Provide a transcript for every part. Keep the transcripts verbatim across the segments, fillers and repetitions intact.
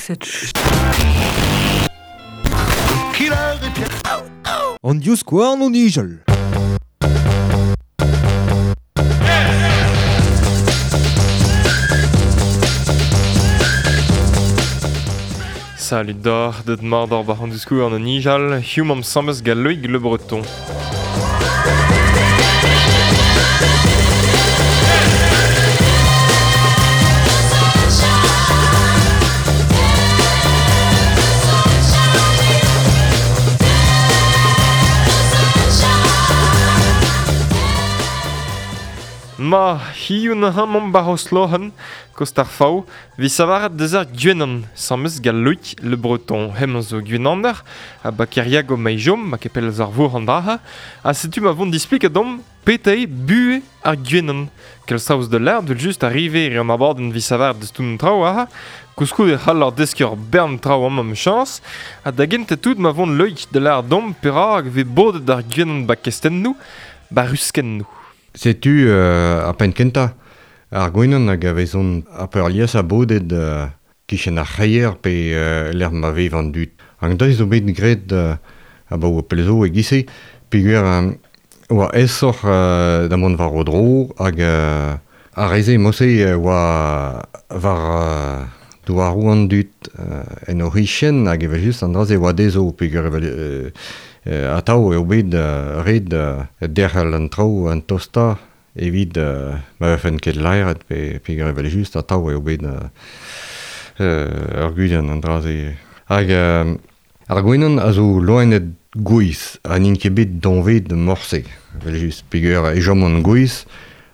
Cette An divskouarn o nijal. Salut d'or, deut mat d'or bar an divskouarn o nijal, hiziv am samez gant Loïg Le Breton. Ma, hiziv neuze 'maomp bar Roslohan, kost ar Faou, 'vit savaret deus ar gwenan, samez gant Loïg Le Breton. Hemañ zo gwenaner, ha ba Keriago maejom, ma kepel eus ar vour an draha, ha setu ma vont displiket domp petra eo buhez ar gwenan. Kel saoz de l'erd, vel just arrive e an abadenn 'vit savaret deus tout an traoù aze, koulskoude e c'hall ar deskiñ ur bern traoù amañ 'michañs, ha da gentañ tout ma vont Loïg da lâret domp perak 'vez bodet ar gwenan ba kestennoù, ba ruskennoù. Setu euh, ar penn kentañ ar gwenan hag a vezont ar peurliesañ bodet euh, kichen ar c'hreier pe euh, lec'h ma vev an dud. An deiz zo bet graet euh, abaoe pell zo e-giz-se peogwir euh, oa aesoc'h euh, da mont war o dro hag euh, ar re-se mod-se oa war euh, douaroù an dud euh, en o c'hichen hag evel-just an dra-se oa dezho peogwir evel euh, Euh, atav eo bet euh, ret euh, derc'hel an traoù an tostañ evit euh, ma vefen ket laeret pe peogwir evel-just atav eo bet euh, euh, ur gudenn an dra-se. Hag euh, ar gwenan a zo loened gouez ha n'int ket bet doñvaet morse evel-just peogwir e chomont gouez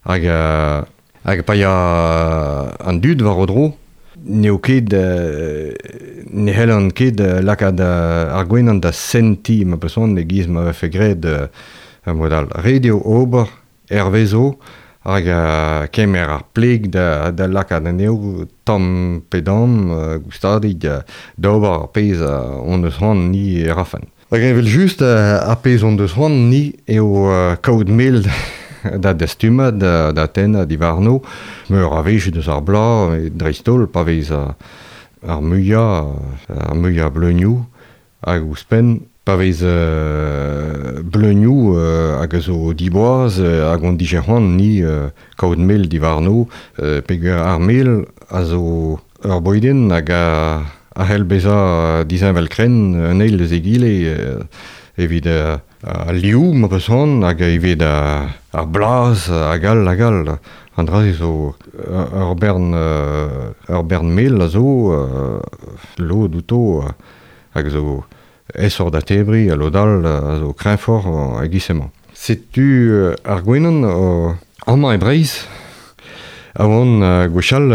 hag euh, hag pa ya an dud war o dro n'eo ket euh, ne c'hellan ket euh, lakaat euh, ar gwenan da sentiñ ma peus c'hoant e-giz ma vefe graet euh, ar mod all. Ret eo ober hervezo hag euh, kemer ar pleg da, da lakaat anezho tamm pe damm euh, goustadik euh, d'ober ar pezh euh, hon eus c'hoant ni e rafen. Hag evel-just euh, ar pezh hon deus c'hoant ni eo euh, kaout mel da dastumad, da, da tennañ diwarno, meur a wech deus ar bloaz, dreist-holl pa vez ar, ar muiañ, ar muiañ bleunioù, hag ouzhpenn pa vez euh, bleunioù euh, hag a zo diboaz euh, hag on dije c'hoant ni euh, kaout mel diwarno, euh, peogwir ar mel a zo ur bouedenn hag a, a c'hell bezañ disheñvel-krenn un eil deus egile euh, evit euh, al liv ma peus c'hoant hag evit ar, ar blaz hag all hag all. An dra-se zo ur bern, ur bern mel a zo euh, lod outo hag zo aesoc'h da tebriñ ha lod all a zo kreñvoc'h e-giz-se-mañ. Setu ar gwenan euh, amañ e Breizh a oan gwechall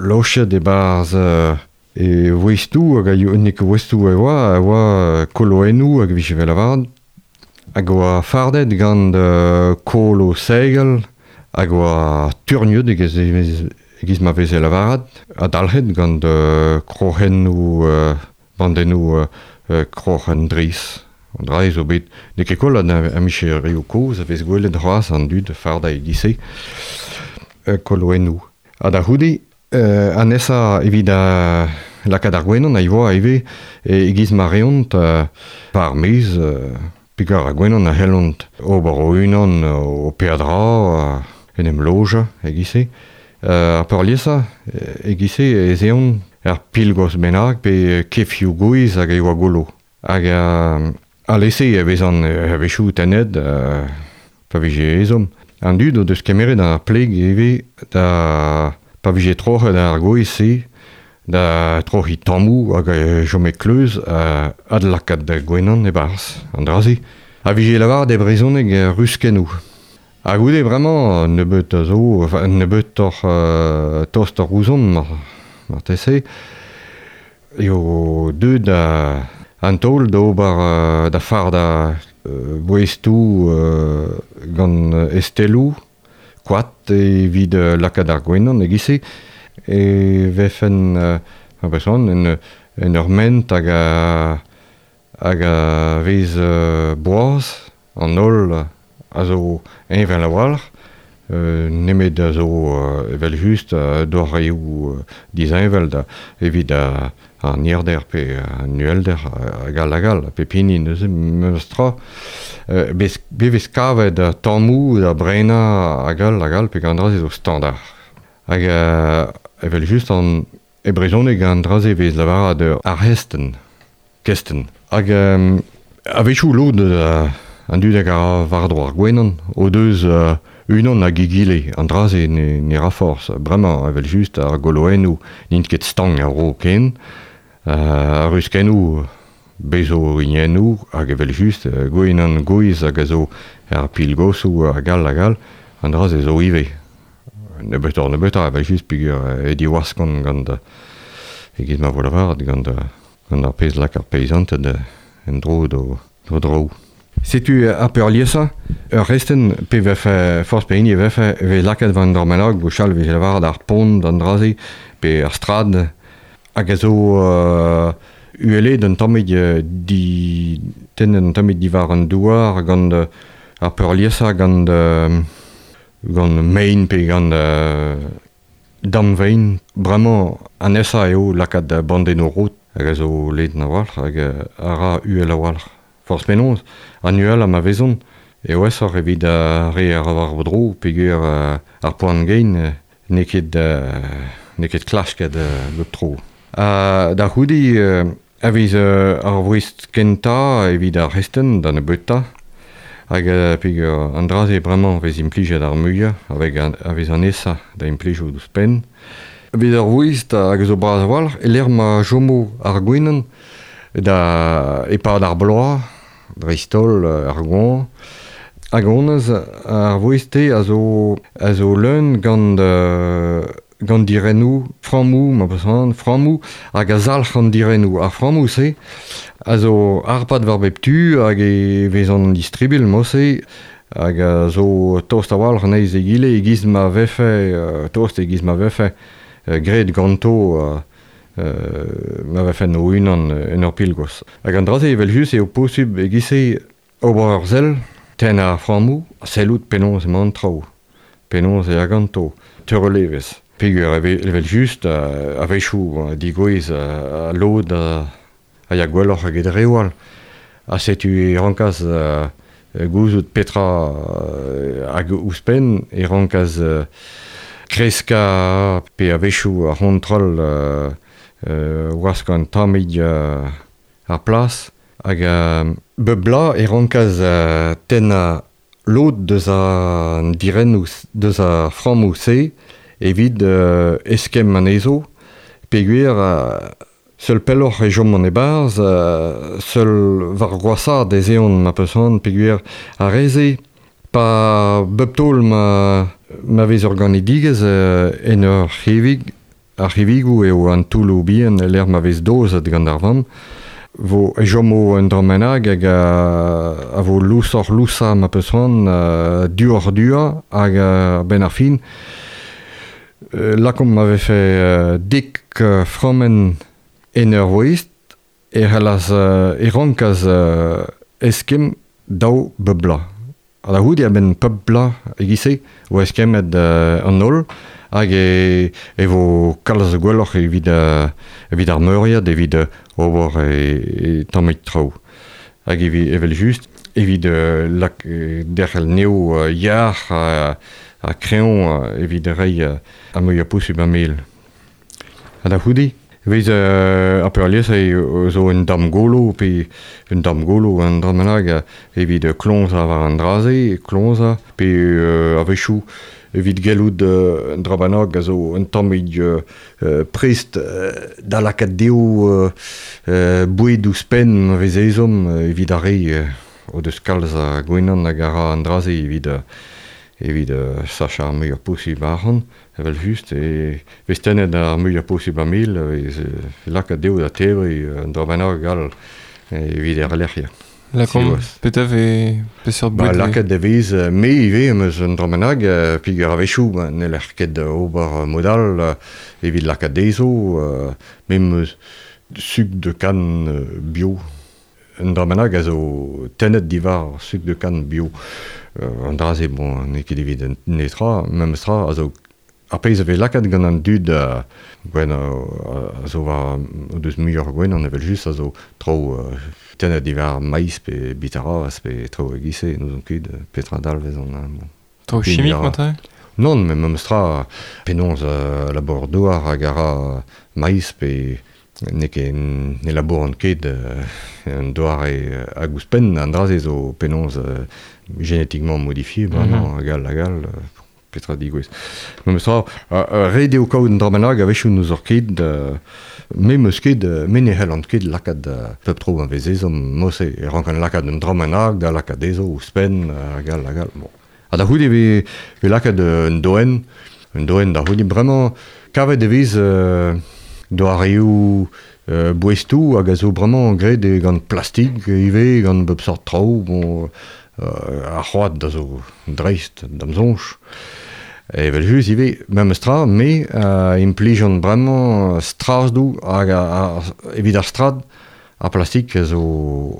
lochet e-barzh e voestoù hag a n'eo ket voestoù e oa, a oa koloennoù hag e vije lavaret hag oa fardet gant euh, kolo segel hag oa turniet e-giz, e-giz ma veze lavaret ha dalc'het gant euh, kroc'hennoù euh, bandennoù euh, kroc'hen drez. An dra zo bet n'eo ket koll a micherioù kozh a vez gwelet c'hoazh an dud fardañ e-giz-se euh, koloennoù. Ha da c'houde euh, an nesañ evit a lakaat ar gwenan a ioa ivez e-giz ma reont euh, par maez euh, peogwir ar gwenan a c'hellont ober o-unan o peadra euh, en em lojañ e-giz-se. Euh, ar peurliesañ e-giz-se ez eont ar pilgos bennak pe kefioù gouez hag e oa goullo. Hag euh, alese e vezan a-wechoù tennet euh, pa vije ezhomm. An dud o deus kemeret ar pleg ivez da pa vije troc'het ar gouez-se da troc'hiñ tammoù hag e chome kleuz uh, adlakaat da gwenan e-barzh an dra-se. A vije lavaret e brezhoneg ruskennoù. Ha goude bremañ nebeut a zo, enfin nebeutoc'h euh, tostoc'h ouzhomp mar, marteze, eo deuet da an taol d'ober euh, da fardañ euh, boestoù euh, gant esteloù, koad evit euh, lakaat ar gwenan e-giz-se, e vefen euh, a en, en ur ment hag a, hag a vez euh, boaz an holl a zo heñvel a-walc'h, Euh, nemet a zo euh, evel just euh, doareoù euh, disheñvel da evit a, an nierder pe an uhelder hag all hag all, pe pini neuze memes tra. Euh, bez, bevez kavet da tammoù da brenañ hag all hag all pe gant dra-se zo standard. Hag euh, evel just an e brezhoneg an dra-se vez lavaret ar hesten, kesten. Hag euh, a-wechoù lod euh, an dud hag a war-dro ar gwenan o deus euh, unan hag egile, an dra-se ne, ne ra forzh. Bremañ, evel just, ar goloennoù n'int ket stank ar ro ken, euh, ar ruskennoù bezo hiniennoù hag evel just, gwenan gouez hag a zo ar pilgosoù hag all hag all, an dra-se zo ivez. Nebeutoc'h nebeutoc'h evel just peogwir e diwaskont gant e-giz ma vo lavaret gant, gant ar pezh lak ar peizanted en dro d'o, d'o dro. Setu ar peurliesañ, ur restenn pe vefe forzh pe hini vefe vez lakaet war an dra bennak, gwechall vez lavaret ar pont an dra-se pe ar strad hag a zo euh, uhelet un tammig di tennet un tammig diwar an douar gant ar peurliesañ gant euh, gant mein pe gant euh, damvein. Bremañ an aesañ eo lakaat bandennoù rod hag a zo ledan a-walc'h hag a ra uhel a-walc'h. Forzh penaos, an uhel ma vezont eo aesoc'h evit ar re ar war dro peogwir ar poan gein n'eo ket n'eo ket klasket bep tro. Ha da c'houde a vez ar voest kentañ evit ar restenn da nebeutañ hag peogwir an dra-se bremañ vez implijet ar muiañ avec a vez an aesañ da implijout ouzhpenn. Evit ar voest hag a zo bras a-walc'h e lec'h ma chomo ar gwenan da e-pad ar bloaz, dreist-holl ar goañv. Hag honnezh ar voest-te a zo, a zo leun gant, euh, gant dirennoù, frammoù, ma peus c'hoant, frammoù hag a zalc'h an dirennoù. Ar frammoù-se a zo harpat war bep tu hag e vezont distribil mod-se hag a zo tost a-walc'h anezhe egile e-giz ma vefe, euh, tost e-giz ma vefe euh, graet ganto euh, Euh, ma vefen o-unan en ur pilgos. Hag an dra-se evel just eo posubl e-giz-se ober ur sell, tennañ ar frammoù, sellout penaos emañ an traoù, penaos eo ganto, teurel evezh. Peogwir evel just a-wechoù digouez a lod a ya gwelloc'h eget reoù all. Ha setu e rankas gouzout petra hag ouzhpenn e rankas kreskañ pe a-wechoù ar c'hontrol Euh, wask an tammig euh, ar plas hag euh, bep bloaz e rankas euh, tennañ lod deus an dirennoù deus ar frammoù-se evit euh, eskemm anezho peogwir euh, seul pelloc'h e chom an e-barzh euh, seul war gwashaat ez eont ma peus c'hoant peogwir ar re-se pa bep taol ma, ma vez ur ganedigezh euh, en ur c'hevig. Ar c'hevigoù eo an toulloù bihan e lec'h ma vez dozet gant ar vamm, vo e chomo un dra bennak hag a, a vo lousoc'h lousañ ma peus c'hoant, uh, duoc'h duañ hag a-benn ar fin. Euh, lakaomp ma vefe uh, dek uh, frammenn en ur voest e c'hallas uh, e rankas uh, eskemm daou bep bloaz. Ha da c'houde a-benn pep bloaz e-giz-se vo eskemmet uh, an holl hag e, e vo kalz gwelloc'h evit, uh, evit ar meuriad, evit uh, ober e, e tammig traoù. Hag evi, evel just, evit uh, lak, derc'hel neo uh, yac'h ha, ha kreñv uh, evit reiñ uh, ar muiañ posubl a mel. Ha da c'houde, vez uh, ar peurliesañ zo un tamm golo pe un tamm golo un dra bennak evit kloñsañ war an dra-se, kloñsañ pe uh, a-wechoù evit gellout euh, un dra bennak a zo un tammig euh, prest euh, da lakaat dezho euh, euh, boued ouzhpenn ma vez ezhomm evit ar re euh, o deus kalz a gwenan hag a ra an dra-se evit, evit euh, sachañ ar muiañ posubl arc'hant, evel just, e vez tennet ar muiañ posubl a mel, vez lakaat dezho da tebriñ un dra bennak all evit er lec'hiañ. Lakaomp, petra vez peseurt Ba, boued vez lakaat e vez me ivez am eus un dra bennak, peogwir a-wechoù ba, n'heller ket ober mod all evit lakaat dezho, me am eus suk de canne bio. Un dra bennak a zo tennet diwar suk de canne bio. An dra-se, bon, n'eo ket evit netra, memes tra, a zo ar pezh a vez lakaet gant an dud uh, gwen uh, a zo war o deus muioc'h gwen an evel just a zo tro uh, tennet diwar maiz pe bitaraz pe tro e-giz-se, n'ouzon ket petra dalvez an... Bon. Tro chimik matre? Non, mais memes tra penaos uh, labour douar hag a ra maiz pe n'eo ket ne labourant ket uh, an doare hag ouzhpenn an dra-se zo penaos uh, génétiquement modifié, bremañ, mm-hmm. hag all, hag all, petra digouez. Memes tra, ret eo kaout un dra bennak a-wechoù n'ouzor ket, me 'meus ket, me ne c'hellan ket lakaat pep tro an vez ezhomm, mod-se, e rankan lakaat un dra bennak da lakaat dezho ouzhpenn, hag all, hag all. Bon. Ha da c'houde e vez lakaat un doenn, un doenn da c'houde bremañ, kavet e vez euh, doareoù euh, boestoù hag a zo bremañ graet gant plastik ivez, gant bep sort traoù, bon, euh, ar c'hoad da zo dreist da'm soñj. Evel just ivez, memes tra, me euh, implijan bremañ stradoù hag a, a, evit ar strad, ar plastik a zo,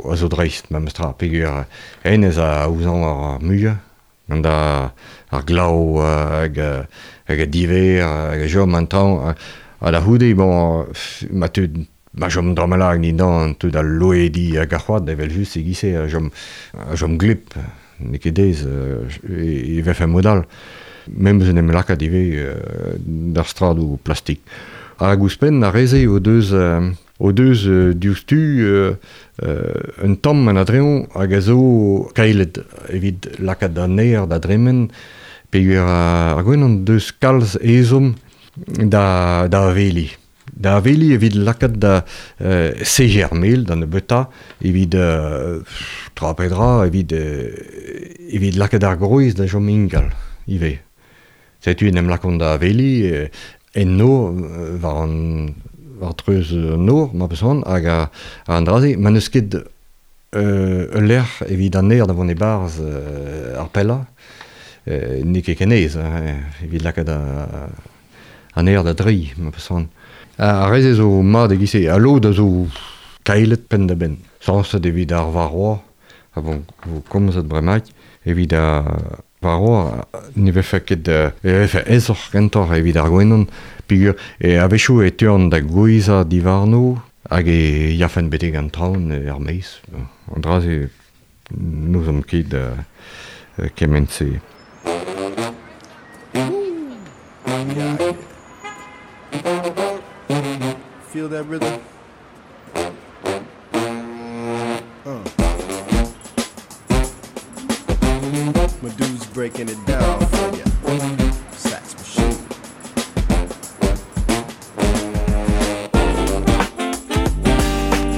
a zo dreist, memes tra, peogwir hennezh a aozañ ar muiañ, gant ar, ar glav hag, hag a diver, hag a chom an traoñ, ha da c'houde, bon, ma teu ma chom dra bennak dindan teu da loediñ hag ar c'hoad, evel just e-giz-se, a chom, a chom gleb, n'eo ket aes, e, e vefe mod all. Memes en em lakaat ivez euh, d'ar stradoù plastik. Hag ouzhpenn ar re-se o deus, euh, o deus euh, diouzhtu euh, euh, un tamm an adreñv hag a zo kaelet evit lakaat an aer da dremen, peogwir ar gwenan deus kalz ezhomm da, da aveliñ. Da aveliñ evit lakaat da euh, sejer ar mel da nebeutañ, evit euh, tra pe dra, evit, euh, evit lakaat ar groez da chom ingal ivez. Setu en em lakaont da aveliñ enno war an war treuz an nor, ma peus c'hoant, hag a, an dra-se, ma n'eus ket euh, ul lec'h evit an aer da vont e-barzh euh, ar pellañ, euh, n'eo ket ken aes, hein, evit lakaat an aer da dreiñ, ma peus c'hoant. Ar re-se zo mat e-giz-se, ha lod a zo kaelet penn-da-benn. Sañset evit ar varroa, ha bon, vo komzet bremaik, evit ar varroa, ne vefe ket, e vefe aesoc'h kentoc'h evit ar gwenan, peogwir e a-wechoù e teuan da gouezhañ diwarno, hag e yafen betek an traoñ er maez. An dra-se n'ouzomp ket uh, kement-se. Feel that rhythm? Uh. My dude's breaking it down for ya. Sax machine.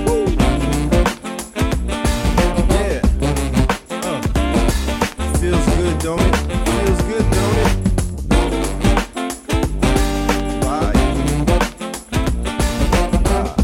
Woo. Yeah. Uh. Feels good, don't it? Feels good, don't it? Bye. Ah.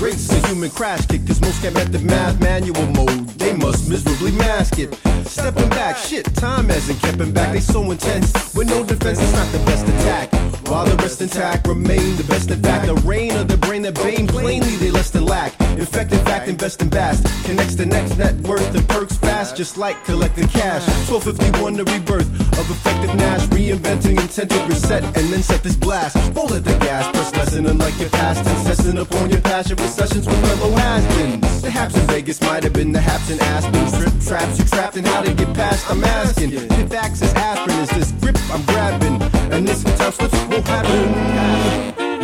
Race a human crash kick, cause most can't method math manual mode. They must miserably mask it. Stepping back, shit, time hasn't kept 'em back. They so intense, with no defense, it's not the best attack. While the rest intact, remain the best in fact. The reign of the brain that bane, plainly they less than lack. Infected fact, invest in vast. Connects the next net worth and perks fast, just like collecting cash. twelve fifty-one, the rebirth of effective Nash. Reinventing intent to reset and then set this blast. Roll at the gas, press lesson unlike your past. And session upon your passion for sessions with fellow has-beens. The haps in Vegas might have been the haps in Aspen. Trip traps you trapped and how to get past, I'm asking. If facts is aspirin, is this grip I'm grabbing? And this time slips won't happen.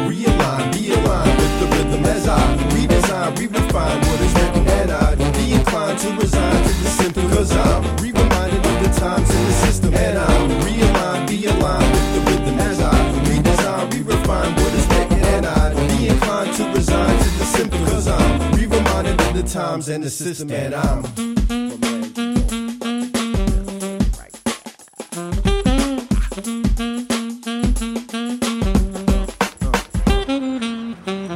Realign, realign with the rhythm as I redesign, re-refine what is written, and I'd be inclined to resign to the symptom, cause I'm re-reminded of the times in the system, and I'm realigned, be aligned with the rhythm as I redesign, re-refine what is written, and I'd be inclined to resign to the symptom, cause I'm re-reminded of the times and the system, and I'm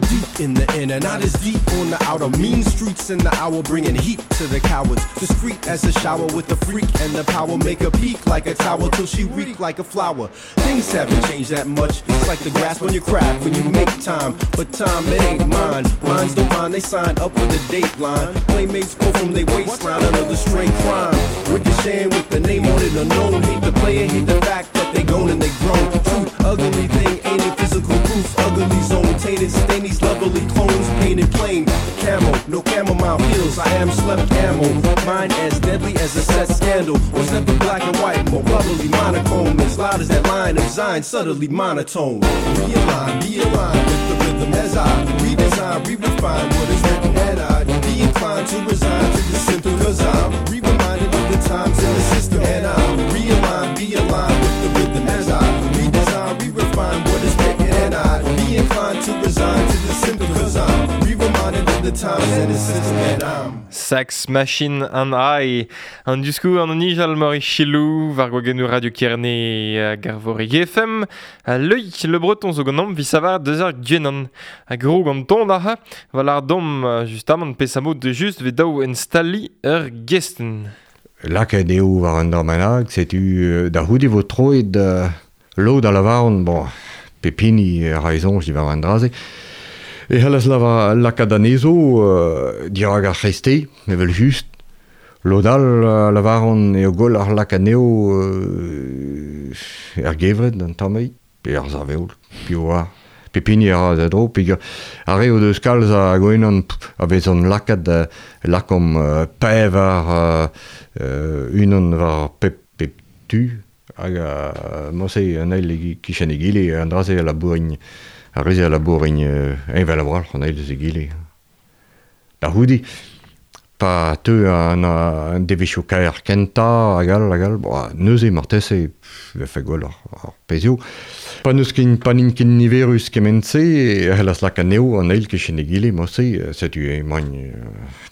deep in the inner, not as deep on the outer. Mean streets Streets in the hour bringing heat to the cowards. Discreet as a shower with the freak and the power. Make a peak like a tower till she reek like a flower. Things haven't changed that much. It's like the grass when you crack, when you make time. But time, it ain't mine. Mines don't mind, they sign up for the dateline. Playmates go from their waistline, another straight crime. Ricocheting with the name on it unknown. Hate the player, hate the fact that they gone and they grown. Truth, ugly thing, ain't it physical proof? Ugly zone, tainted, stain these lovely clones, painted plain. Camo, no chamomile heels, I am slept ammo. Mine as deadly as a set scandal. Was never black and white, more bubbly monochrome. As loud as that line of Zion, subtly monotone. Realign, be aligned with the rhythm as I redesign, re-refine what is written, and I'd be inclined to resign to the symptom, cause I'm re-reminded of the times in the system, and I'm realigned, be aligned with the rhythm as I redesign, re-refine what is written, and I'd be inclined to resign to the symptom, cause I'm re-reminded of the times in the system, and I'm Sex Machine and I. An diskou an nijal mori chilou, war gwagennou Radio Kerne hag ar vor F M. A Loïc Le Breton zo ganeomp vi savar deus ar gwenan. A gro gant ton da, val ar dom justamant pesamot de just ve daou instali ur gesten. Lakaet eo war an dormenag, setu da c'houde vo troet uh, lod a lavaron, bon, pepini raizon diwar an draze. E c'hallas lava lakaat anezo uh, dirag ar c'hreste, evel just. Lod all uh, lavaron eo goll ar lakaat anezho uh, er gevred an tammei, pe ar zaveol, piv oar. Pepini a ra da dro, pe ar re o deus kalz a gwenan a vezon lakaat uh, lakom uh, pevar uh, uh, unan war pep, pep tu, hag uh, mose an eil kichen egile, an draze a labourign, ar reze a labourign uh, envel a walc'h an eil eus egile. Da c'houde, pa teu an, an devezhioù kaer kentañ, hag all, hag all, bo, neuze marteze, vefe gwell ar, ar pezhioù. Pa n'eus ken, pa n'int ken niverus kement-se, e c'hellas lakaat anezho an eil kichen egile, mose, setu emaint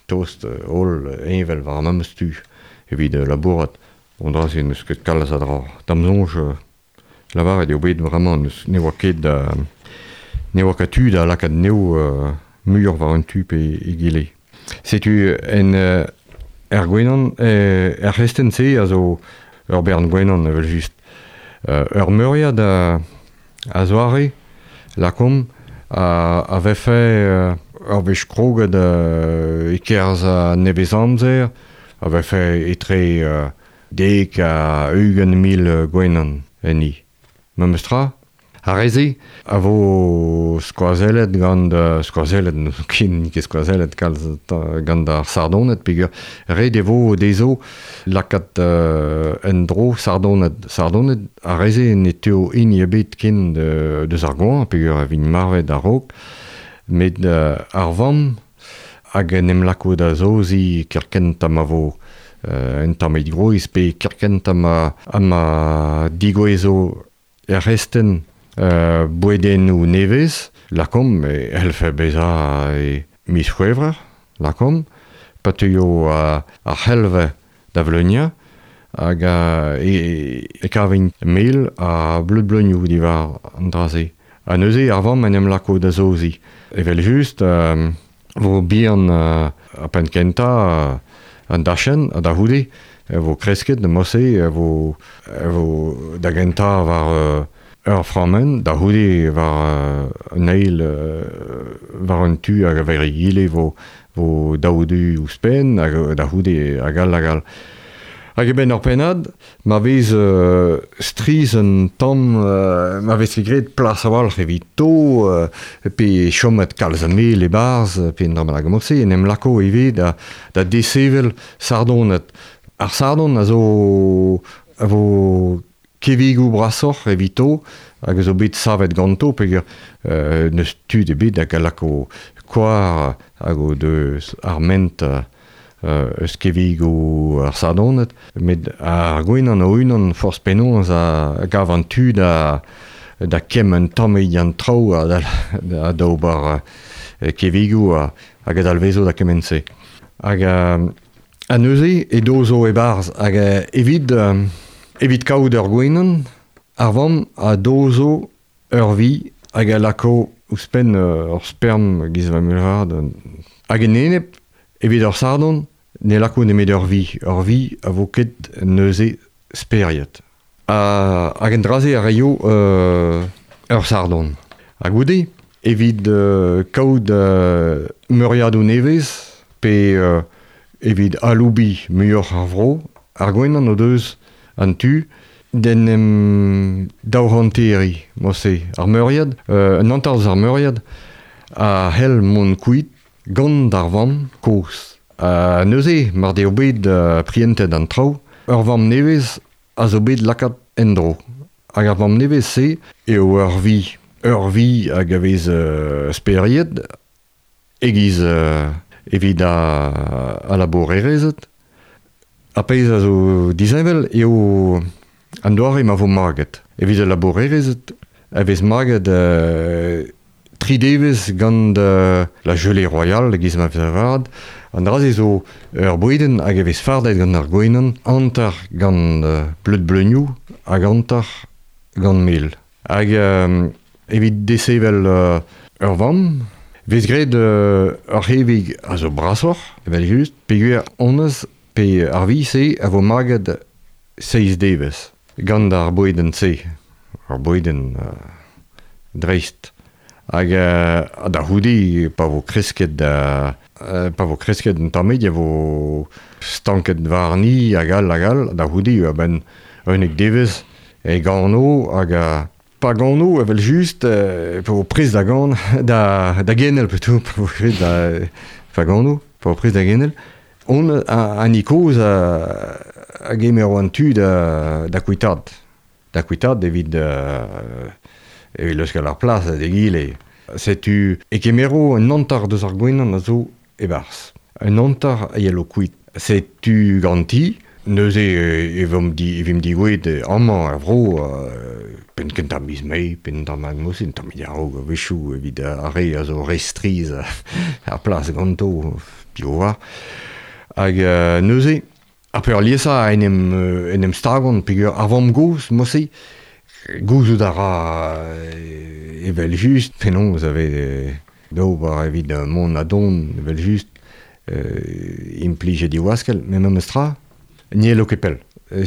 tost holl envel war ar memes tu evit labourat. On dra-se n'eus ket kalz a dra. Da'm soñj, lavaret eo bet vraiment n'eus ne oa ket da, ne oa ket tu da lakaat anezho uh, muioc'h war un tu pe egile. Setu en uh, er gwenan, eh, er c'hesten-se a zo ur bern gwenan evel just. Uh, ur meuriad a, a zoare, lakom, a, a vefe uh, ur wech kroget uh, e-kerzh a nevez amzer, a vefe etre uh, dek a ugent mil gwenan enni. Memes tra, ar reze a vo skoazellet gant uh, skoazellet, n'eus ket ket skoazellet kalz gant ar sardoned, peogwir ret e vo dezho lakaat uh, en dro sardoned. Sardoned ar reze ne teuo hini ebet ken de, deus ar goañv, peogwir a vint marvet a-raok, met uh, ar vamm hag en em lako da zozi kerkent ha ma vo uh, un tamm groiz, pe kerkent ha ma, ha ma digouezo er resten Uh, bouedennoù nevez, lakom, e c'hellfe bezañ e miz C'hwevrer, lakom, pa teuio uh, ar c'helve da vleuniañ, hag uh, e, e kavint mel ha bleud bleunioù diwar an dra-se. Ha neuze ar vamm en em lako da zozi. Evel just, uh, vo bihan uh, a penn kentañ uh, an dachenn, ha da c'houde, e vo kresket da mose, e vo, e vo da gentañ war uh, ur frammen, da c'houde war uh, an eil uh, war un tu hag a ver egile vo, vo daou du ouzhpenn, hag da c'houde hag all hag all. Hag e benn ur pennad, ma vez uh, striz un tamm, uh, ma vez ket graet plas a-walc'h evito, uh, pe chomet kalz a mel e-barzh, pe un dra bennak mod-se, en em lako ivez da, da desevel sardoned. Ar sardon a zo a vo kevigoù brasoc'h evito, hag a zo bet savet ganto, peogwir euh, n'eus tud ebet hag a lako koar hag o deus ar ment euh, eus kevigoù ar sardoned, met ar gwenan o-unan forzh penaos a gav an tu da, da kemm un tamm an traoù ha da, da, da ober uh, kevigoù ha, hag a dalvezo da kement-se. Hag uh, a neuze edo zo e-barzh, hag uh, evit uh, evit kaout ur gwenan, ar vamm a dozo ur vi hag a lako ouzhpenn ur sperm giz va mulhard. Hag en enep Evit ur sardon, ne lako nemet ur vi, ur vi a vo ket neuze speriet. Ha, hag en draze a reio euh, ur sardon. Ha goude, evit euh, kaout euh, meuriadoù nevez, pe euh, evit aloubi muioc'h ar vro, ar gwenan o deus an tu, d'en em daouhanteri, mo-se, ar meuriad, euh, un hanter eus ar meuriad, a hell mont kuit gant ar vamm kozh. Uh, neuze, mar deo bet uh, prientet an traoù, ur vamm nevez a zo bet lakaat en-dro. Hag ar vamm nevez-se eo ur vi, ur vi hag a vez uh, speriet, egiz uh, evit a, a labourerezed. A pezh a zo disheñvel eo an doare ma vo maget. Evit al labourerezed a vez maget uh, tri devezh gant uh, la gelée royale, egiz ma vez avat. An dra-se zo ur bouedenn hag e vez fardet gant ar gwenan, hanter gant uh, bleud bleunioù hag hanter gant mel. Hag euh, evit desevel uh, ur vamm, vez graet uh, ur c'hevig a zo brasoc'h, evel just, peogwir honnezh pe ar vi-se a vo maget seizh devezh gant ar bouedenn-se, ar bouedenn uh, dreist. Hag uh, da c'houde, pa vo kresket uh, pa vo kresket un tammig, e vo stanket warni hag all hag all, da c'houde a-benn unnek devezh e gano hag uh, pa gano evel just, uh, pa vo prest da gan, da, da genel plutôt, pa vo prest da, pa gano, pa vo prest da genel, on a, an ikoz a, a gemero an tu da, da kuitaat, da kuitaat evit uh, evit leuskel ar plas da egile. Setu e kemero un hanter deus ar gwenan a zo e-barzh. Un hanter a yelo kuit. Setu ganti, neuze e vomp di, e vimp digouet amañ ar vro, euh, penn kentañ miz Mae, penn tamm hag mosin, tamm a-raok a-wechoù evit ar re a zo re strizh ar plas ganto, piv oar. Hag euh, neuze, ar peurliesañ en em, en em stagont, peogwir ar vamm-gozh, mo-se, gouzout a ra evel just, penaos a vez d'ober evit mont a don, evel just, euh, implij e diwaskel, met memes tra, n'hello ket pell. E,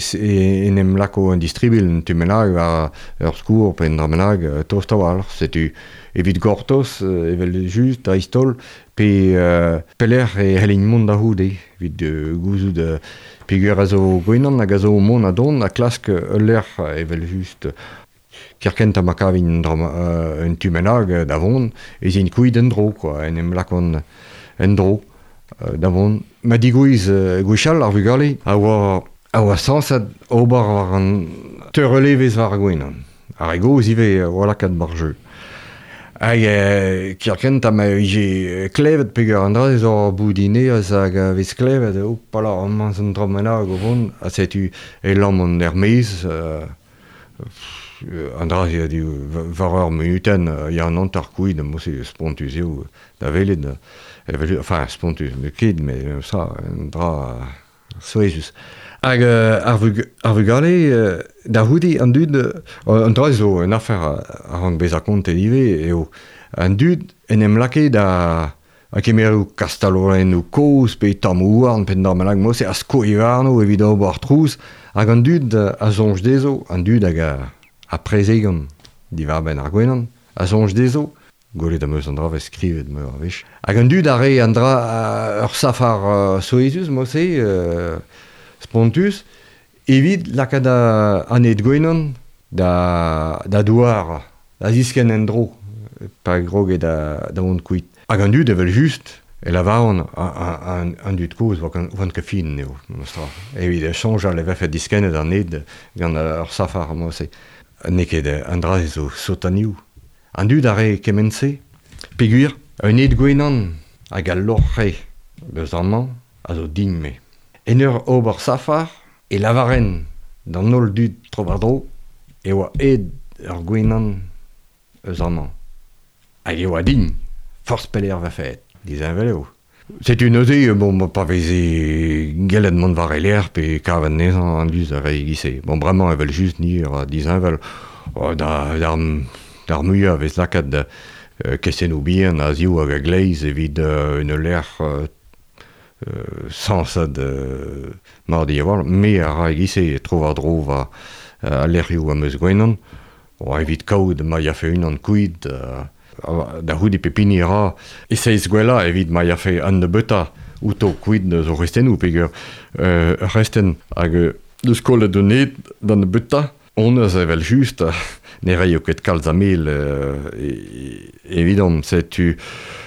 en em lako un distribil un tu bennak war ur skourr pe un dra bennak tost a-walc'h. Setu evit gortoz, evel just, dreist-holl, pe euh, pelec'h e c'hellin mont da c'houde, evit euh, gouzout euh, peogwir a zo gwenan hag a zo mont a don a klask ul lec'h evel just. Kerkent ha ma kavin un, dra, euh, un tu bennak da vont, ez int kuit en-dro, quoi, en em lakont en-dro euh, da vont. Ma digouez euh, gwechall ar vugale a oa, a oa sañset ober war an teurelevez war ar gwenan. Ar re gozh ivez a oa lakaat bar jeu. Hag euh, kerkent ha ma vije klevet peogwir an dra zo ur boudinez hag a vez klevet, hopala, amañ zo un dra bennak o vont, ha setu e lammont er-maez, euh, an dra se a di war ur munutenn, ya an hanter kuit, mo-se spontus eo da welet, evel, enfin spontus, ne ket, mais ça, un dra souezhus. Hag euh, ar, vug, ar vugale, euh, da c'houde an dud, euh, an dra zo un afer a rank bezañ kontet ivez, eo an dud en em lakae da a kemeroù kastalorennoù kozh pe tammoù houarn pe dra bennak mo-se a skoe warno evit ober trouz, hag an dud a soñj dezho, an dud hag a, a prezegan diwar-benn ar gwenan, a soñj dezho, gwelet am eus an dra vez skrivet meur a wech. Hag an dud a re an dra ur safar uh, souezhus mo-se, euh, spontus, evit lakaat an ed gwenan da, da douar, da ziskenn en-dro, pa groge da, da vont kuit. Hag an dud evel just, e lavaran an, an dud kozh oant ket fin eo, memestra. Evit soñjal e vefe diskennet an ed gant ur safar mo-se. N'eo ket an dra zo sotanioù. An dud a re kement-se, peogwir un ed gwenan hag al loc'h-re deus amañ a zo din-me. En ur ober safar e lavaren d'an holl dud tro-war-dro e oa ed ur gwenan eus amañ. Hag e oa din, forzh pelec'h vefe aet, disheñvel eo. Setu neuze, bon, pa veze gellet mont war e lec'h pe kavet anezhañ an dud a re e-giz-se. Bon, bremañ evel just ni a disheñvel, da, d'ar, d'ar muiañ a vez lakaat euh, kestennoù bihan a ziv hag a gleiz evit euh, un lec'h euh, euh, sañsad euh, mar di a me a ra egise tro war dro va euh, a lec'hioù am eus gwenan, o evit kaout ma yafe unan kuit, euh, da c'houde pepini ra e seiz gwella evit ma yafe an nebeuta outo kuit zo restennoù peogwir euh, ur restenn hag deus kollet un ed d'an nebeuta on eus evel just ne raio ket kalz a mel euh, evidom setu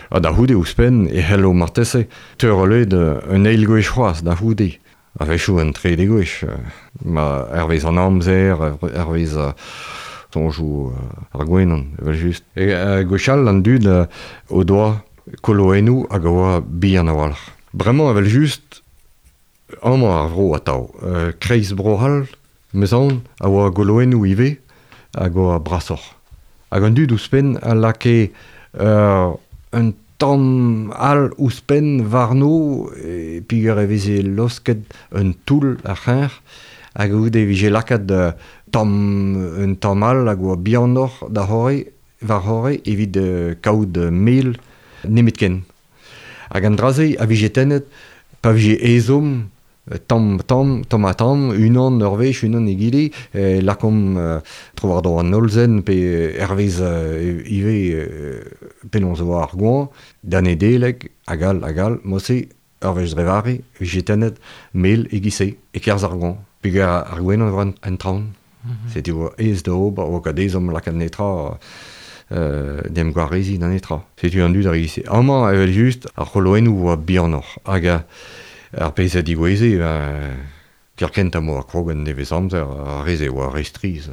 ha da c'houde ouzhpenn e c'hello marteze teurel un eil gwech c'hoazh da c'houde a-wechoù un trede gwech ma hervez an amzer hervez soñjoù ar gwenan evel just e uh, gwechall an dud uh, o doa koloennoù hag a oa bihan a-walc'h. Bremañ evel just amañ ar vro atav uh, kreiz Bro-C'hall meus aon a oa goloennoù ivez hag oa brasoc'h. Hag an dud ouzhpenn a lakae uh, un tamm all ouzhpenn warno e peogwir e veze losket un toull ar c'hreñv hag goude e vije lakaet uh, tamm un tamm all hag oa bihanoc'h da c'horre war c'horre evit uh, kaout mel nemetken. Hag an dra-se a vije tennet pa vije ezhomm tamm tamm tamm ha tamm unan ur wech unan egile eh, lakaomp euh, tro war dro an hollzen pe hervez euh, ivez euh, penaos oa ar goañv da Nedeleg hag all hag all mod-se ur wech dre vare vije tennet mel e-giz-se e-kerzh ar goañv peogwir ar gwenan war an traoñ. Mm-hmm. Setu oa aes da ober oa ket ezhomm lakaat netra euh, d'em gwareziñ da netra. Setu an dud ar e-giz-se. Amañ evel just ar c'holoennoù oa bihanoc'h hag ar pezh a digoueze, euh, kerkent am oa krog an nevez amzer, ar re-se oa re striz,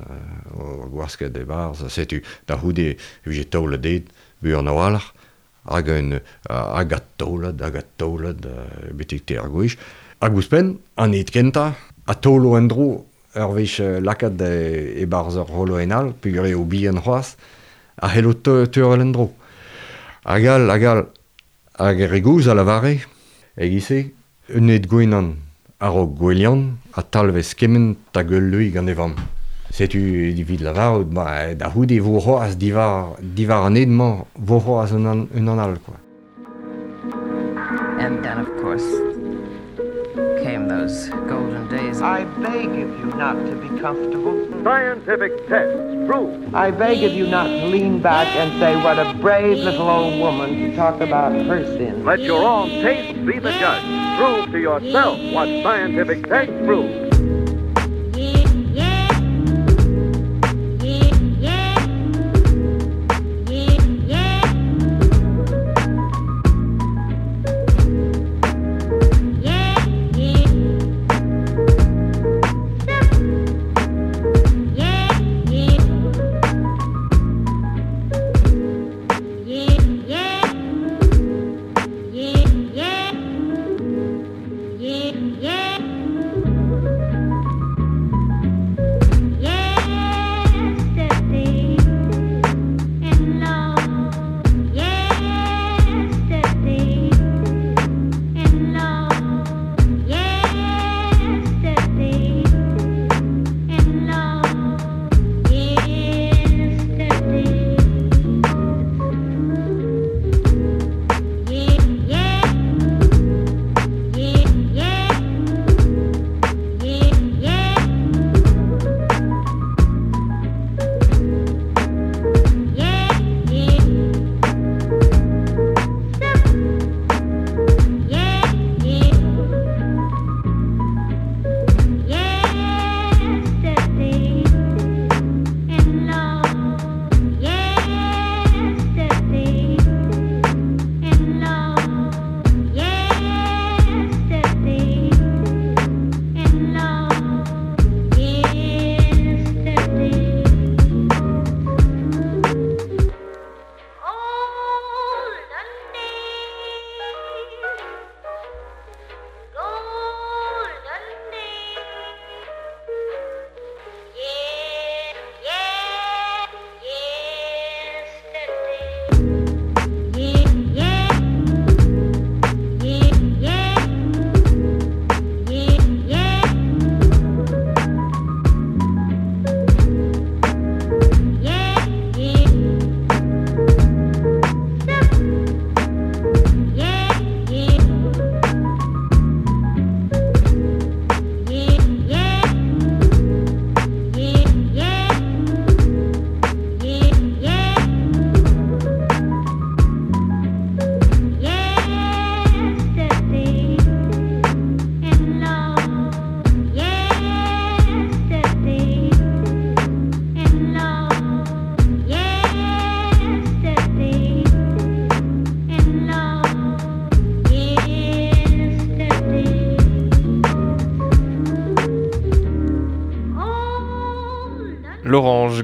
oa gwasket e-barzh, setu da c'houde e vije taolet ed buan a-walc'h, hag un hag a taolet, hag a taolet, betek teir gwech. Hag ouzhpenn, an ed kentañ, a taolo en-dro ur wech lakaet e-barzh ur c'holoenn all, peogwir eo bihan c'hoazh, a c'hello teurel en-dro. Hag all, hag all, hag ar re gozh a lavare, e-giz-se, un ed gwenan a-raok gwelian a talvez kement hag ul leue gant e vamm. Setu evit lavarout, ma, da c'houde vo c'hoazh diwar, diwar an ed-mañ, vo c'hoazh un an, un an all, quoi. And then, of course, came those golden days. I beg of you not to be comfortable. Scientific tests prove. I beg of you not to lean back and say what a brave little old woman to talk about her sins. Let your own taste be the judge. Prove to yourself what scientific tests prove. Yeah, yeah.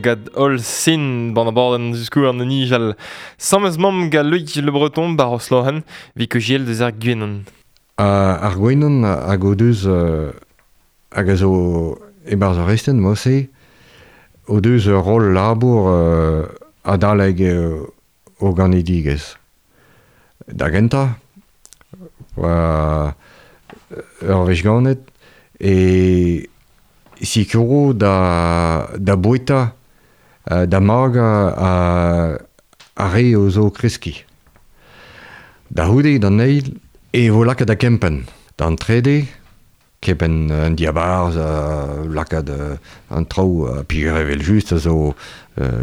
gad ol sin ban aborden juskou an nijal. Samez mamm ga Loïc Le Breton bar oslohen vi kejiel deus ar gwenan. Uh, ar gwenan hag o deus uh, hag a zo e-barzh ar resten mo-se o deus ur rol labour uh, adaleg uh, o ganedigezh. Da gentañ, oa ur wech ganet e sikuro da, da boueta, da maga a, a re o zo kreski. Da c'houde d'an eil e vo lakaet da kempenn. D'an trede, kempenn an diabarzh, lakaat an traoù, peogwir evel just a zo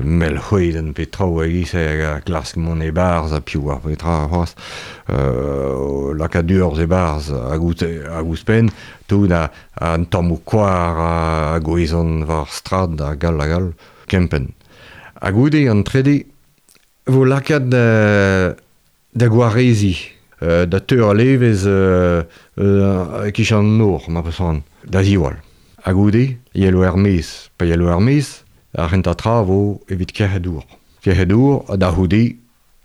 mell c'hwedenn pe traoù e-giz a klask mont e-barzh ha piv ar petra c'hoazh, lakaat urzh e-barzh hag ouzhpenn, tout a, an tammoù koar a gouezan war strad hag all hag all, kempenn. Ha goude an trede vo lakaat da, da gwareziñ, da teur a levez euh, euh, kichen an nor, ma peus da ziwall. Ha goude, yelo er-maez. Pa yelo er-maez, ar c'hentañ tra vo evit kerc'het dour. Kerc'het dour, da c'houde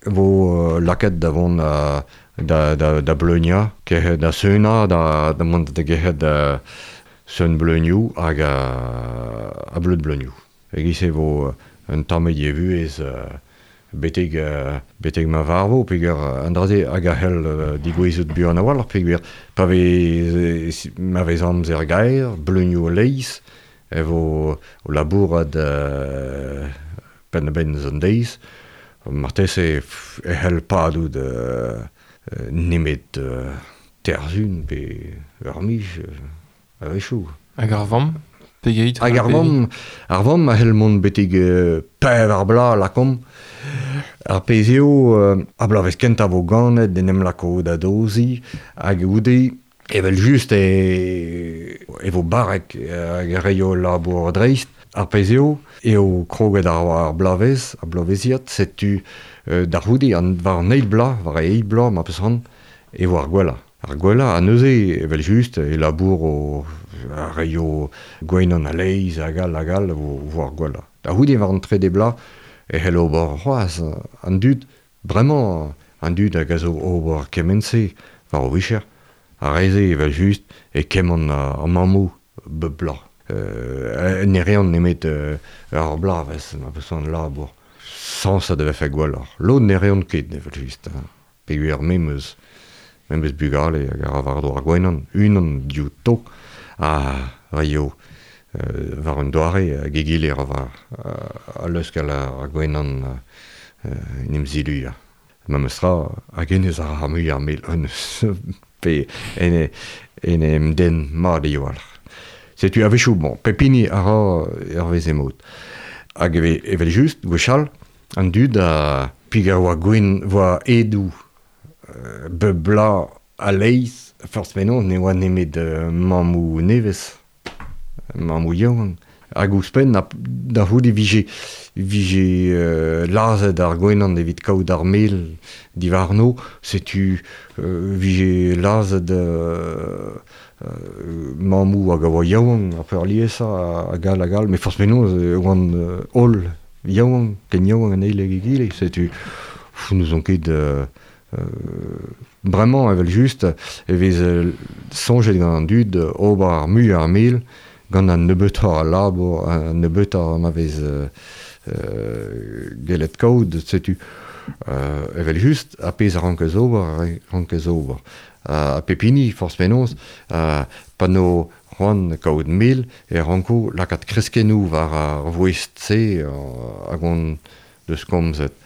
vo lakaet da vont da, da, da, da bleuniañ, kerc'het da seunañ, da, da mont da gerc'het da seun bleunioù hag a, a bleud bleunioù. E-giz e vo un tamm e vuhez betek, uh, betek ma varvo, peogwir an dra-se hag a c'hell uh, digouezout buan a-walc'h, peogwir pa vez, ma vez amzer gaer, bleunioù a-leizh, e vo o labourat uh, penn-da-benn eus an deiz, marteze e c'hell padout uh, nemet uh, terzun pe ur miz uh, a-wechoù. Hag ar vamm? Pegeit? Hag ar vamm, ar vamm a c'hell mont betek uh, pevar bloaz lakomp. Ar pezh eo, uh, ar bloavezh kentañ vo ganet en em lako da doziñ, hag goude, evel just e, e vo barrek hag e reio labour dreist. Ar pezh eo, eo kroget ar, ar bloavezh, ar bloavezhiad, setu uh, da c'houde, an, war an eil bloaz, war e eil bloaz, ma peus c'hoant, e vo ar gwellañ. Ar gwellañ, ha neuze, evel just, e labour o a reio gwenan a-leizh hag all hag all vo, vo ar gwellañ. Da c'houde war an trede bloaz, e c'hell ober c'hoazh an dud, bremañ an dud hag a zo ober kement-se war o vicher, ar re-se evel just e kement ar mammoù bep bloaz. Euh, ne reont nemet euh, ur bloavezh, ma peus an labour. Sañs a vefe gwelloc'h. Lod ne reont ket evel just. Peogwir me 'm eus, me 'm eus bugale hag a ra war-dro ar gwenan, unan diouto, a reio euh, war un doare hag egile ra war uh, a leuskel ar gwenan uh, en em ziluiañ. Memes tra hag hennezh a ra muiañ mel honnezh pe en, en em den mat eo walc'h. Setu a-wechoù, bon, pep hini a ra hervez e mod. Hag evel just, gwechall, an dud a peogwir oa gwen oa edoù euh, bep bloaz a-leizh, forzh penaos ne oa nemet uh, mammoù nevez, mammoù yaouank. Hag ouzhpenn, da c'houde vije, vije euh, lazhet ar gwenan evit kaout ar mel diwarno, setu euh, vije lazhet euh, euh, mammoù hag a oa yaouank, ar peurliesañ hag all hag all, met forzh penaos e oant euh, holl yaouank, ken yaouank an eil hag egile, setu n'ouzon ket euh, euh, bremañ evel just e vez soñjet gant an dud ober ar muiañ ar mel gant an nebeutoc'h a labour, an nebeutoc'h ma vez euh, gellet kaout, setu euh, evel just ar pezh a rankez ober, a rankez ober. Ha pep hini, forzh penaos, uh, pa no c'hoant kaout mel, e ranko lakaat kreskennoù war ar voest-se hag on deus komzet.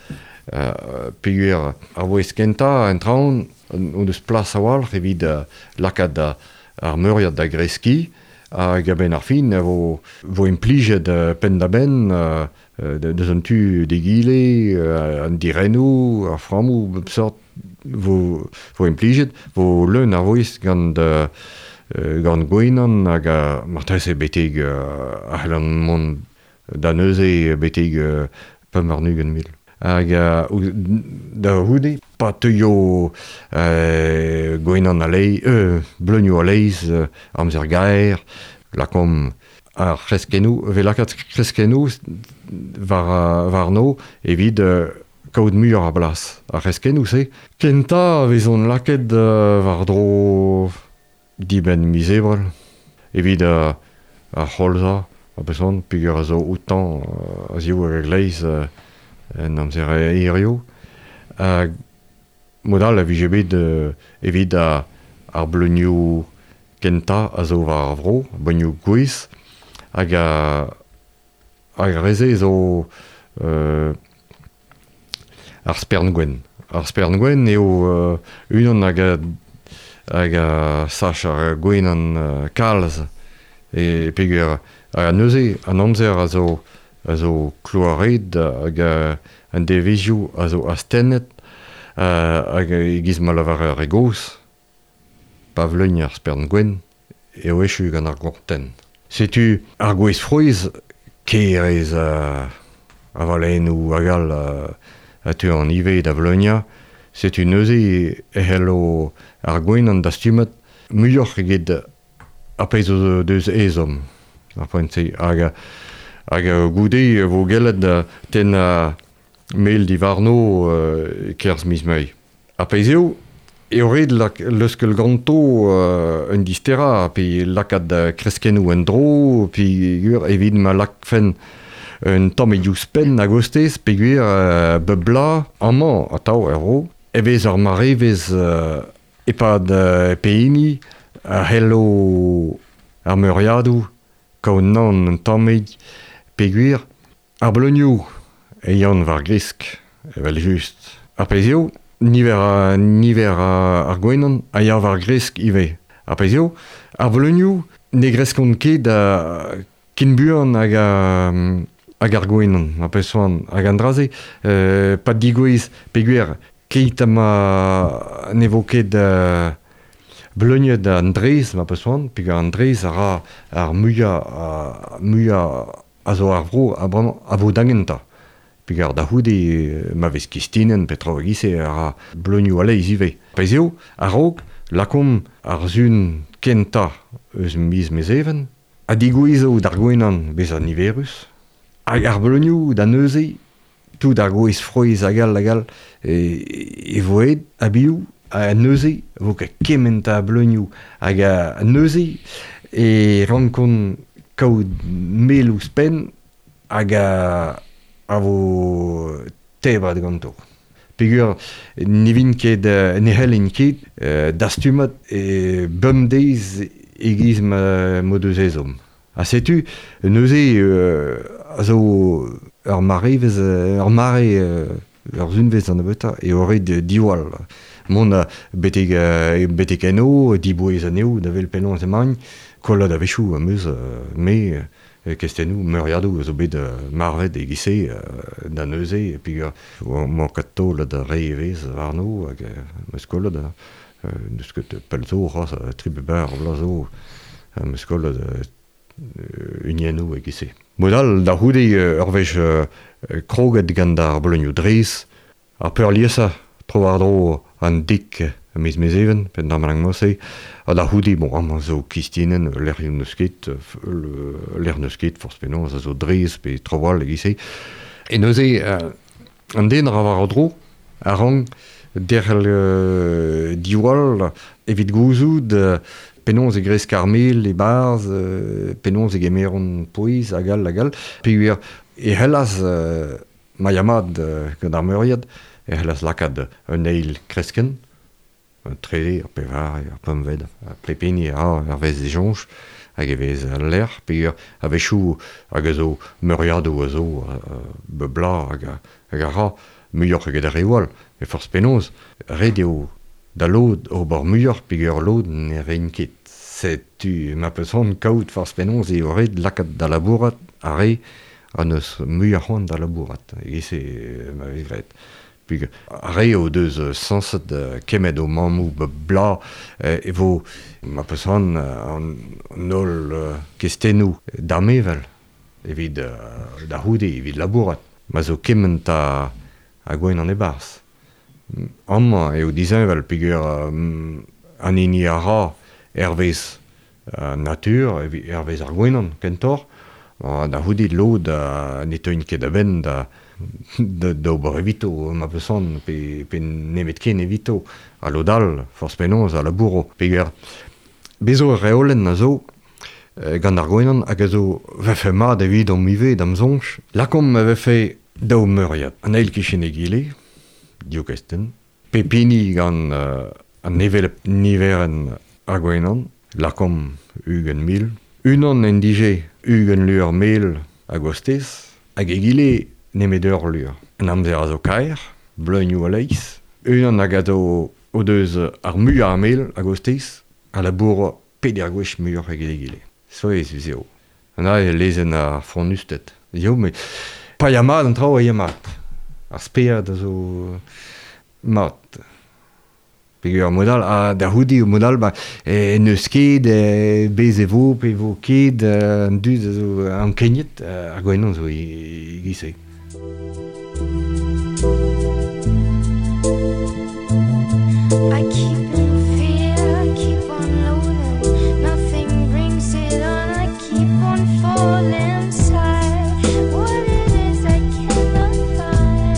Uh, peogwir ar voest kentañ en traoñ on deus plas a-walc'h evit uh, lakaat ar meuriad da greskiñ, hag a-benn ar fin e vo, vo implijet uh, penn-da-benn uh, deus an tu d'egile, uh, an dirennoù, ar frammoù, bep sort vo, vo implijet, vo leun ar voest gant, uh, gant gwenan hag a, marteze betek uh, a c'hellan mont da neuze betek uh, pemp warn-ugent mil. Hag uh, da c'houde, pa teuio euh, gwenan a-leizh, euh, bleunioù a-leizh, euh, amzer gaer, lakomp ar c'hreskennoù, vez lakaet kreskennoù war, warno evit euh, kaout muioc'h a blas. Ar c'hreskennoù-se. Kentañ a vezont lakaet euh, war-dro dibenn miz Ebrel evit euh, ar c'holza a bezon peogwir a zo outañ euh, a ziv hag a gleiz euh, en amzer hirio. Hag mod all a vije bet euh, evit a, ar bleunioù kentañ a zo war ar vro, bleunioù gouez, hag a, hag ar re-se zo euh, ar spern gwenn. Ar spern gwenn eo euh, unan hag a, hag a sach ar gwenan euh, kalz e peogwir a neuze an amzer a zo a zo kloaret hag a, an devezioù a zo astennet euh, hag e-giz ma lavar ar re gozh pa vleugn ar spern gwenn eo echu gant ar gortenn. Setu ar gwez frouezh kerez uh, avalennoù hag all uh, a teu an ivez da vleugnañ. Setu neuze e c'hello ar gwenan dastumet muioc'h eget ar pezh zo deus ezhomm ar poent-se. Hag, hag goude e vo gellet tennañ mel diwarno euh, kerzh miz Mae. Ar pezh eo, eo ret lak, leuskel ganto euh, un disterañ, pe lakaat kreskennoù en-dro, pe gwir evit ma lakfen un tamm e diouzhpenn a-gostez, peogwir euh, bep bloaz, amañ atav er vro, e vez ar marevezh euh, e-pad euh, pehini a c'hello ar meuriadoù kaout nann un tammig, peogwir ar bleunioù e yann war gresk, evel just. Ar pezh eo, niver a, niver a, ar gwenan a ya war gresk ivez. Ar pezh eo, ar bleunioù ne greskont ket a ken buan hag a, hag ar gwenan, ar pezh soan, hag an dra-se, euh, pa digouez peogwir keit ha ma ne vo ket euh, bleuniet an drez, ma peus soan, peogwir an drez a ra ar muiañ a, muiañ a zo ar vro a bremañ a vo da gentañ. Peogwir da c'houde ma vez kistinen pe traoù e-giz-se a ra bleunioù a-leizh ivez. Pezh eo, a-raok, lakaomp ar sun kentañ eus miz Mezheven, ha digouezo d'ar gwenan bezañ niverus, hag ar bleunioù da neuze, tout ar gwez frouezh hag all hag all, e, e vo aet a-biou, ha neuze vo ket kement a bleunioù, hag a neuze e rankont kaout mel ouzhpenn hag a, a vo tebret ganto. Peogwir ne vin ket, ne c'hellin ket euh, dastumat e bemdeiz e-giz ma m'o deus ezhomm. Ha setu neuze euh, a zo ur marevezh, ur mare, ur sunvezh an nebeutañ eo ret diwall. Mont a betek, betek eno, dibouez anezho, da wel penaos emaint, kollat a-wechoù am eus, me, kestennoù, meuriadoù a zo bet marvet e-giz-se da neuze, e peogwir emañ ket taolet re evezh warno, hag am eus kollet, n'eus ket pell zo c'hoazh, tri pe bevar vloaz zo, am eus kollet uniennoù e-giz-se. Mod all, da c'houde ur wech kroget gant ar bleunioù drez, ar peurliesañ tro-war-dro an dek miz Mezheven, pe d'ar malang-se, ha da c'houde, bon, amañ zo kistinen, lec'hioù n'eus ket, lec'h n'eus ket, forzh penaos, a zo drez pe traoù all e-giz-se. E neuze, euh, an den a ra war dro, a rank derc'hel euh, diwall evit gouzout euh, penaos e gresk ar mel e-barzh, euh, penaos e gemeront pouez hag all hag all. Peogwir e c'hellas euh, ma ya mat euh, gant ar meuriad, e c'hellas lakaat un eil kreskenn, un trede, ar pevar, ar pempvet, ar pep hini a ra hervez e soñj, hag e vez al lec'h, peogwir a-wechoù hag a zo meuriadoù a zo euh, bep bloaz hag a, hag a ra muioc'h eget ar reoù all, e forzh penaos, ret eo da lod ober muioc'h peogwir lod ne reint ket. Setu ma peus c'hoant kaout forzh penaos eo ret lakaat da labourat ar re a neus muioc'h c'hoant da labourat, e-giz-se ma vez graet. Peogwir ar re o deus sañset kemmet o mammoù bep bloaz e vo ma peus c'hoant an holl kestennoù damevel evit da c'houde, evit labourat. Ma zo kement a, a gwenan e-barzh. Amañ eo disheñvel peogwir an hini a ra hervez uh, natur, hervez ar gwenan, kentor, uh, da c'houde lod uh, ne teuint ket a-benn da, da, da ober evito, ma peus pe, pe nemet ken evito, a lod all, forzh penaos, a labouro, peger. Bezo ur reolenn a zo, gant ar gwenan, hag a zo vefe mat evidomp ivez da'm soñj. Lakomp a vefe daou meuriad, an eil kichen egile, div kestenn, pepini gant uh, an hevelep niverenn ar gwenan, lakomp ugent mil, unan en dije ugent lur mel a gostez, hag egile nemet ur lur. An amzer a zo kaer, bleunioù a-leizh, unan hag a zo o deus ar muiañ a mel a gostez, a labour peder gwech muioc'h eget egile. Souezhus eo. An a lezenn ar frondusted. Eo, met pa ya mat an traoù a ya mat. Ar spered a zo mat. Peogwir ar mod all, ha da c'houde o mod all, ba, e, n'eus ket, e, bez e vo, pe vo ket, an dud a zo ankeniet, ar gwenan zo e-giz-se. I keep in fear, I keep on loathing, nothing brings it on, I keep on falling inside. What it is I cannot find.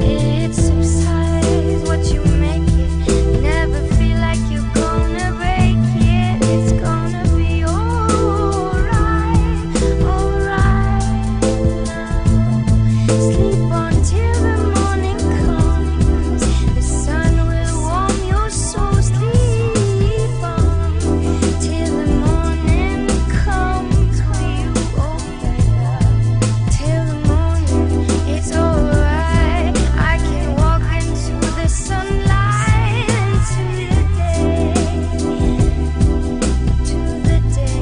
It subsides what you make it. Never feel like you're gonna break it. It's gonna be alright, alright now. Sleep on till the morning comes. The sun will warm your soul. Sleep on till the morning comes. You open up till the morning. It's alright. I can walk into the sunlight, into the day, to the day,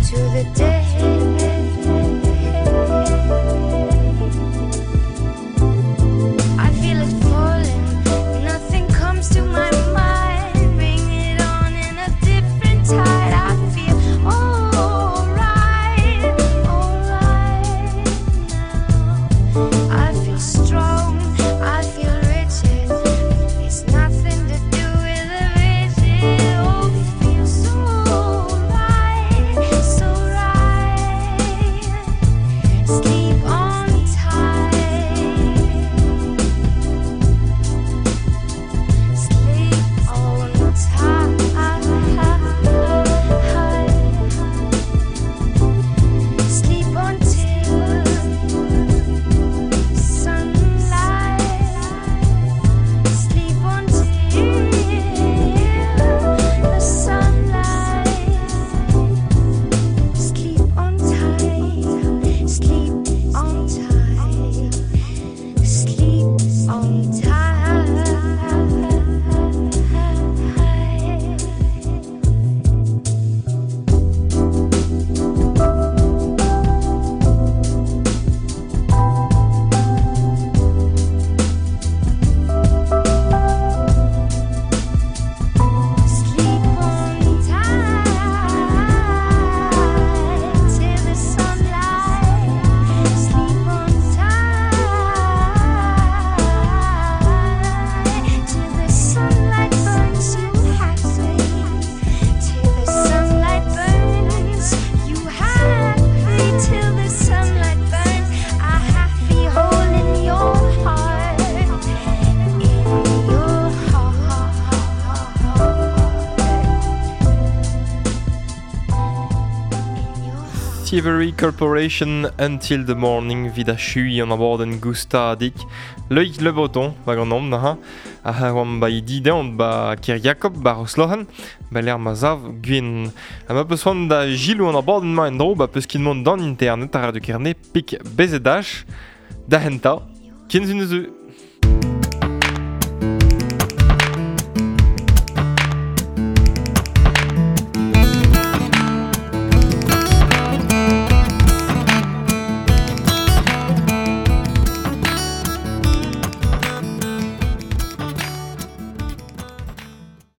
to the day. I feel it falling, nothing comes to my mind. Bring it on in a different tide. I feel alright, alright now. I feel strong, I feel rigid. It's nothing to do with the rigid. Oh, feel so right, so right. Sleep on tight. Sleep on tight. Sleep until sunlight. Sleep until the sunlight. Sleep on tight. Sleep on tight. Sleep on tight. Sleep on tight till the sunlight. Sleep on tight till the sunlight burns you happy. Till the sunlight burns you happy. Till the sunlight burns a happy hole in your heart. In your heart. Thievery Corporation Until the Morning vid a chui an abadenn goustadik. Loïc Le Breton, ba gant omp naha, a oamp ba i ba Ker Jakob ba Roslohan, ba l'er ma zav gwen. Ha ma peus c'hoant da gilou an abadenn ma en dro, ba peus ket mont d'an internet a Radio Kerne pik bezedach, da henta, ken zun eus.